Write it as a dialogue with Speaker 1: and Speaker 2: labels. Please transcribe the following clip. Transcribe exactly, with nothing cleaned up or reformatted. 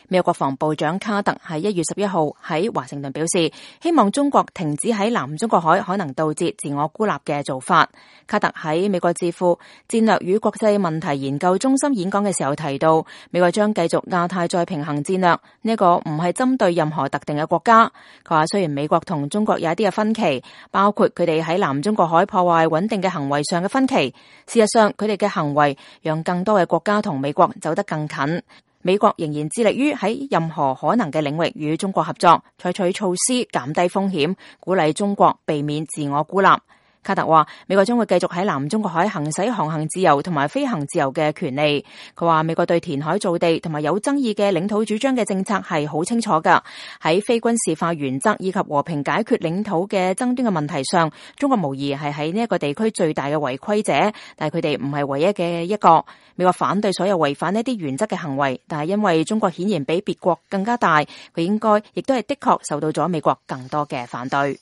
Speaker 1: 美國國防部長卡特喺一月十一號喺華盛頓表示，希望中國停止喺南中國海可能導致自我孤立嘅做法。卡特喺美國智庫戰略與國際問題研究中心演講嘅時候提到，美國將繼續亞太再平衡戰略，呢、這個唔係針對任何特定嘅國家。佢話雖然美國同中國有一啲嘅分歧，包括佢哋喺南中國海破壞穩定嘅行為上嘅分歧，事實上佢哋嘅行為讓更多嘅國家同美國走得更近。美國仍然致力於喺任何可能嘅領域與中國合作，採取措施減低風險，鼓勵中國避免自我孤立。卡特話，美國將會繼續喺南中國海行使航行自由同埋飛行自由嘅權利。佢話美國對填海造地同埋有爭議嘅領土主張嘅政策係好清楚噶。喺非軍事化原則以及和平解決領土嘅爭端嘅問題上，中國無疑係喺呢一個地區最大嘅違規者，但係佢哋唔係唯一嘅一個。美國反對所有違反呢啲原則嘅行為，但係因為中國顯然比別國更加大，佢應該亦都係的確受到咗美國更多嘅反對。